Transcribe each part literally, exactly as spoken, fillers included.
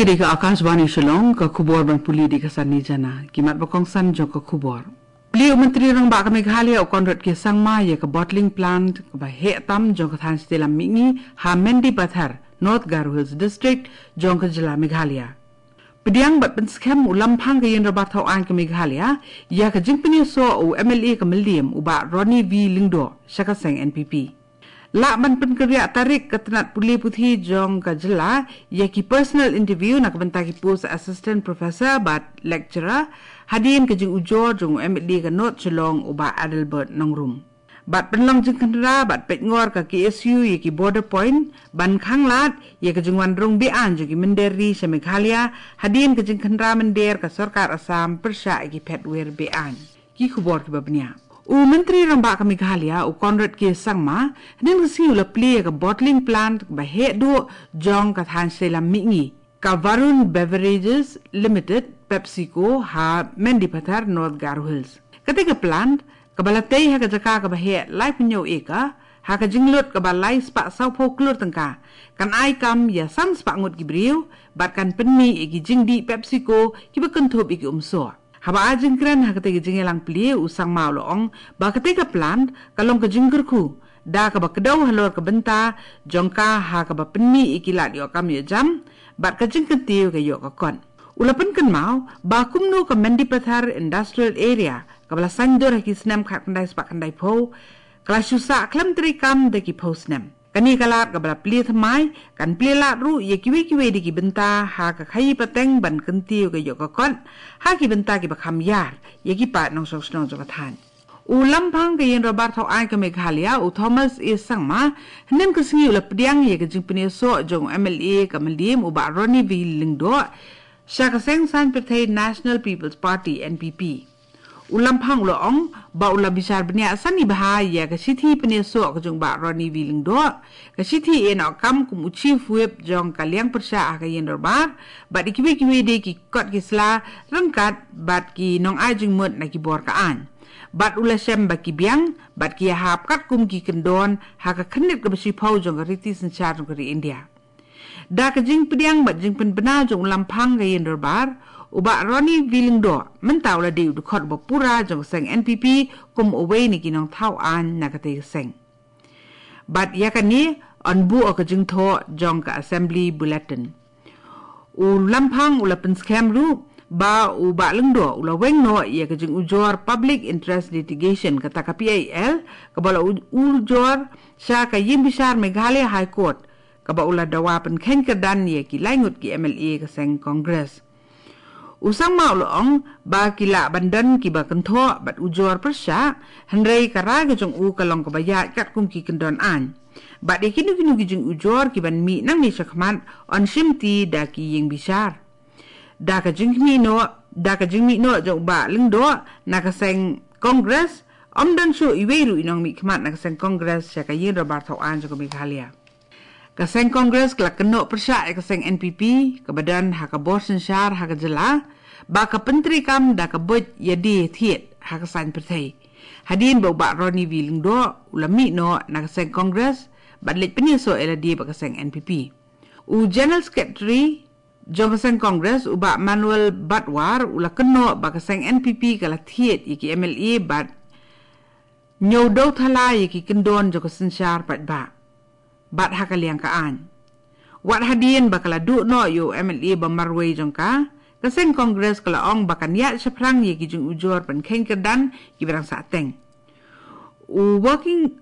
Kane ka Akashvani Shillong, ka khubor ban pule da ka Sani Jana. Ki mat ba kongsan jong ka khubor. Plie u Myntri Rangbah ka Meghalaya u Conrad K Sangma ïa ka bottling plant kaba heh tam jong ka thaiñ shatei lam mihngi ha Mendipathar, North Garo Hills District, jong ka jylla Meghalaya. Pdiang bad pynskhem u Lamphang ka Ïing Dorbar Thaw Aiñ ka Meghalaya ïa ka jingpynïasoh u M L A ka Mylliem u Bah Ronnie V Lyngdoh sha ka seng N P P. Lah ban pynkynriah tarik ka tnat pule puthi jong ka jylla ïa ki personal interview na ka bynta ki post assistant professor bad lecturer, hadien ka jingujor jong u M L A ka North Shillong u Bah Adelbert Nongrum. Bad pynlong jingkhynra bad peitngor ka K S U ïa ki border point ban khanglad ïa ka jingwan rung be-aiñ jong ki mynder ri sha Meghalaya, hadien ka jingkhynra mynder ka sorkar Assam pyrshah ïa ki phetwir be-aiñ. Ki khubor kiba bniah. U Myntri Rangbah ka Meghalaya u Conrad K Sangma hynnin ka sngi u la plie ïa ka bottling plant kaba heh duh jong ka thaiñ shatei lam mihngi, ka Varun Beverages Limited, PepsiCo, ha Mendipathar, North Garo Hills. Kata ka plant kaba la tei ha ka jaka kaba heh laiphew hynñiew acre, ha ka jinglut kaba lai spah sawphew klur tyngka, kan ai kam ïa san spah ngut ki briew bad kan pynmih ïa ki jingdih PepsiCo kiba kynthup ïa ki umsoh. Haba ai jingkren ha katei ka jingïalang plie, u Sangma u la ong ba katei ka plant ka long ka jingkyrkhu da kaba kdew halor ka bynta jong ka ha kaba pynmih ïa ki lad ïoh kam ïoh jam bad ka jingkyntiew ka ïoh ka kot. U la pynkynmaw ba kumno ka Mendipathar Industrial Area kaba la saiñdur ha ki snem khatkhyndai spah khyndaiphew ka la shu sah khlem treikam da ki phew snem. Kane ka lad kaba la plie thymmai kan plie lad ruh ïa kiwei kiwei de ki bynta ha ka khaïi pateng ban kyntiew ka ïoh ka kot ha ki bynta kiba kham ïar ïa ki paid nongshong shnong jong ka thaiñ. U Lamphang ka Ïing Dorbar Thaw Aiñ ka Meghalaya u Thomas A Sangma hynnin ka sngi u la pdiang ïa ka jingpynïasoh jong u M L A ka Mylliem u Bah Ronnie V Lyngdoh sha ka seng saiñ pyrthei National People's Party, N P P. U Lamphang u la ong ba u la bishar bniah sani bha ïa ka shithi pynïasoh ka jong u Bah Ronnie V Lyngdoh, ka shithi ïehnoh kam kum u Chief Whip jong ka liang pyrshah ha ka Ïing Dorbar bad ïa kiwei kiwei de ki kot ki sla ryngkat bad ki nongai jingmut na ki bor ka aiñ. Bad u la shem ba ki biang bad ki ïahap katkum ki kyndon ha ka khyrnit kaba shiphew jong ka riti synshar jong ka ri India. Da ka jingpdiang bad jingpynbna jong u Lamphang ka Ïing Dorbar, u Bah Ronnie V Lyngdoh mynta u la dei u dkhot ba pura jong ka seng N P P kum uwei na ki nongthaw aiñ na katei ka seng. Bad ïa kane yn buh ha ka jingthoh jong ka Assembly Bulletin. U Lamphang u la pynskhem ruh ba u Bah Lyngdoh u la weng noh ïa ka jingujor Public Interest Litigation, kata ka P I L, kaba la u-, ujor sha ka Ïing Bishar Meghalaya High Court, kaba u la dawa pynkheiñ kyrdan ïa ki lai ngut ki M L A ka seng Congress. U Sangma u la ong ba ki lah ban don kiba kynthoh bad ujor pyrshah, hynrei ka rai ka jong u ka long kaba ïaid katkum ki kyndon aiñ. Bad ïa kino kino ki jingujor kiban mih nangne shakhmat yn shimti da ki Ïing Bishar. Da ka jingmih noh, da ka jingmih noh jong u Bah Lyngdoh na ka seng Congress, ym don shuh iwei ruh i nongmihkhmat na ka seng Congress sha ka Ïing Dorbar Thaw Aiñ jong ka Meghalaya. Ka seng Congress ka la kynnoh pyrshah ïa ka seng N P P kaba don ha ka bor synshar ha ka jylla ba ka pyntreikam da ka buit ïadie thied ha ka saiñ pyrthei. Hadien ba u Bah Ronnie V Lyngdoh u la mih noh na ka seng Congress bad leit pynïasoh ïalade bad ka seng N P P. U General Secretary jong ka seng Congress u Bah Manuel Badwar u la kynnoh ba ka seng N P P ka la thied ïa ki M L A bad ñiew dew thala ïa ki kyndon jong ka synshar paidbah bad ha ka liang ka aiñ. Wat hadien ba ka la duh noh ïa u M L A ba marwei jong ka, ka seng Congress ka la ong ba kan ïaid shaphrang ïa ki jingujor pynkheiñ kyrdan kiba dang sahteng. U working,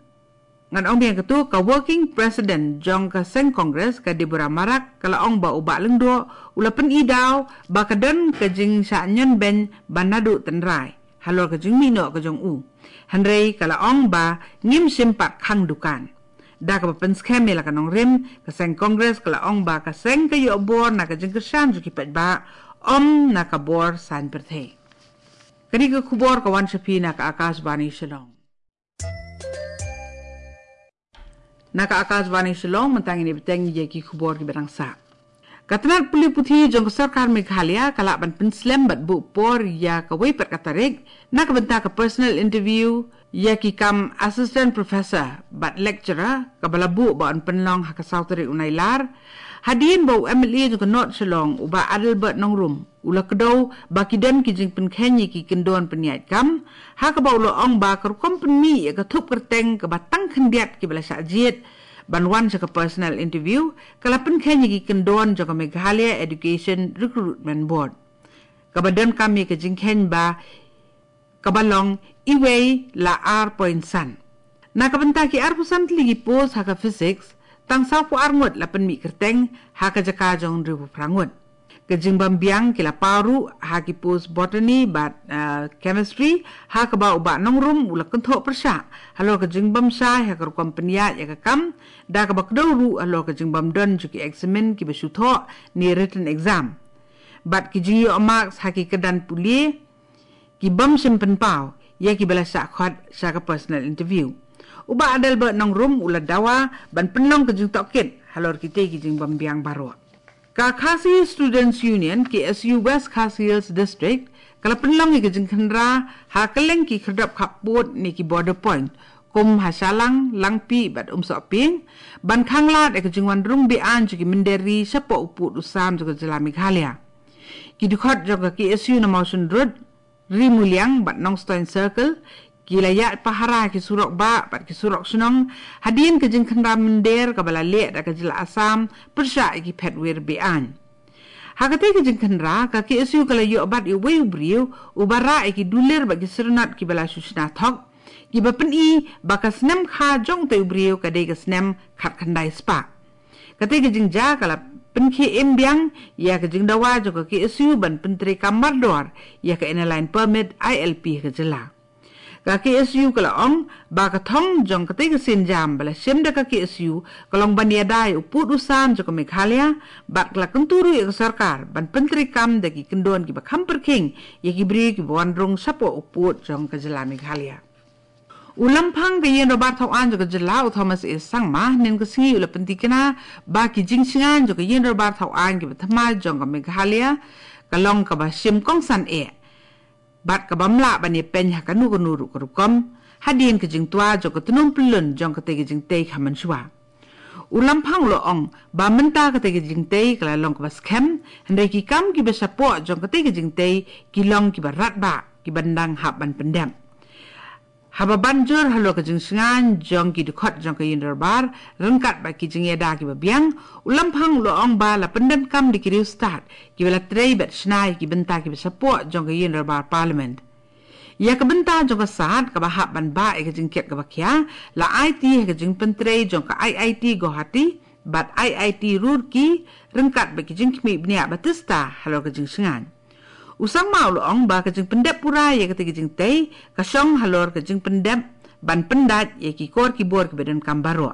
ngan ong biang katto, ka working president jong ka seng Congress ka Deborah Marak ka la ong ba u Bah Lyngdoh u la pyni daw ba ka don ka jingshah ñion beiñ ba naduh tynrai halor ka jingmih noh ka jong u. Hynrei ka la ong ba ngim shym pat khang dukan. Da kaba pynskhem ïa la ka nongrim, ka seng Congress ka la ong ba ka seng ka ïoh bor na ka jingkyrshan jong ki paidbah, ym na ka bor saiñ pyrthei. Kane ka khubor ka wan sha phi na ka Akashvani Shillong. Na ka Akashvani Shillong, mynta ngin ïa bteng ïa ki khubor kiba dang sah. Ka tnat pule puthi jong ka sorkar Meghalaya ka lah ban pynslem bad buh por ïa kawei pat ka tarik na ka bynta ka personal interview ïa ki kam assistant professor bad lecturer kaba la buh ba yn pynlong ha ka saw tarik u Nailar Hadien ba u M L A jong ka North Shillong, u Bah Adelbert Nongrum, u la kdew ba ki don ki jingpynkheiñ ïa ki kyndon pynïaid kam, ha kaba u la ong ba ka rukom pynmih ïa ka thup kyrteng kaba tang khyndiat kiba la shah jied ban wan sha ka personal interview, ka la pynkheiñ ïa ki kyndon jong ka Meghalaya Education Recruitment Board, kaba donkam ïa ka jingkheiñ ba kaba long iwei la ar point san. Na ka bynta ki arphew san tylli ki post ha ka physics, tang sawphew ar ngut la pynmih kyrteng, ha ka jaka jong hynriewphew phra ngut. Ka jingbym biang ki la paw ruh ha ki post botany bad, ah, chemistry, ha kaba u Bah Nongrum u la kynthoh pyrshah halor ka jingbym shai ha ka rukom pynïaid ïa ka kam, da kaba kdew ruh halor ka jingbym don jong ki eksamin kiba shu thoh ne written exam, bad ki jingïoh marks ha ki kyrdan pule ki bym shym pynpaw ïa kiba la shah khot sha ka personal interview. U Bah Adelbert Nongrum u la dawa ban pynlong ka jingtohkit halor kitei ki jingbym biang baroh. Ka Khasi Students Union, K S U, West Khasi Hills District, ka la pynlong ïa ka jingkhynra ha kylleng ki khyrdop khappud ne ki border point, kum ha Shillong, Langpih bad Umsohping, ban khanglad ïa ka jingwan rung be-aiñ jong ki mynder ri shapoh u pud u sam jong ka jylla Meghalaya. Ki dkhot jong ka K S U na Mawshynrut, Rimuliang bad Nongstoiñ Circle, ki la ïaid pahara ki surok bah bad ki surok shnong, hadien ka jingkhynra mynder kaba la leh da ka jylla Assam pyrshah ïa ki phetwir be-aiñ. Ha katei ka jingkhynra, ka K S U ka la ïoh bat ïa uwei u briew uba rah ïa ki dulir bad ki syrnot kiba la shu shna thok, kiba pyni ba ka snem kha jong utei u briew ka dei ka snem khatkhyndai spah. Katei ka jingjia ka la pynkhie im biang ïa ka jingdawa jong ka K S U ban pyntreikam mardor ïa ka Inner Line Permit, I L P, ha ka jylla. Ka K S U ka la ong ba ka thong jong katei ka sienjam ba la shim da ka K S U ka long ban ïada ïa u pud u sam jong ka Meghalaya, bad ka la kyntu ruh ïa ka sorkar ban pyntreikam da ki kyndon kiba kham pyrkhing ïa ki briew kiba wan rung shapoh u pud jong ka jylla Meghalaya. U Lamphang ka Ïingdorbar Thawaiñ jong ka jylla, u Thomas A Sangma, hynnin ka sngi u la pyntikna ba ki jingshngaiñ jong ka Ïingdorbar Thawaiñ kiba thymmai jong ka Meghalaya ka long kaba shim kongsan eh, bad kaba ym lah ban ïapeiñ ha kano kano ruh ka rukom, hadien ka jingtwa jong ka tnum pyllun jong katei ka jingtei kha mynshuwa. U Lamphang u la ong ba mynta katei ka jingtei ka la long kaba skhem, hynrei ki kam kiba shapoh jong katei ka jingtei ki long kiba radbah, kiba dang hap ban pyndep. Haba ban jur halor ka jingshngaiñ jong ki dkhot jong ka Ïingdorbar ryngkat bad ki jingïada kiba biang, u Lamphang u la ong ba la pyndonkam da ki riewstad kiba la trei bad shna ïa ki bynta kiba shapoh jong ka Ïingdorbar Parliament. Ïa ka bynta jong ka sad kaba hap ban bah ïa ka jingkit kaba khia, la aiti ha ka jingpyntrei jong ka I I T Guwahati bad I I T Roorkee, ryngkat bad ki jingkhmih bniah ba tista halor ka jingshngaiñ. U Sangma u la ong ba ka jingpyndep pura ïa katei ka jingtei ka shong halor ka jingpyndep ban pyndait ïa ki kor ki bor kiba donkam baroh.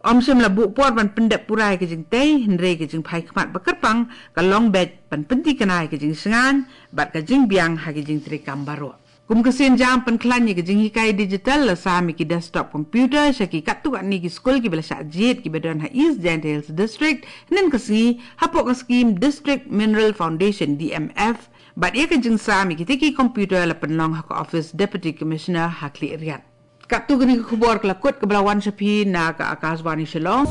Ym shym la buh por ban pyndep pura ïa ka jingtei, hynrei ka jingphai khmat ba kyrpang ka long beit ban pyntikna ïa ka jingshngaiñ bad ka jingbiang ha ki jingtreikam baroh. Kum ka sienjam pynkhlaiñ ïa ka jinghikai digital, la sam ïa ki desktop computer sha ki katto katne ki skul kiba la shah jied kiba don ha East Jaintia Hills District, hynnin ka sngi, hapoh ka skhim District Mineral Foundation, D M F, bad ïa ka jingsam ïa kitei ki computer la pynlong ha ka office Deputy Commissioner ha Khliehriat. Katto katne ka khubor ka la kut kaba la wan sha phi na ka Akashvani Shillong.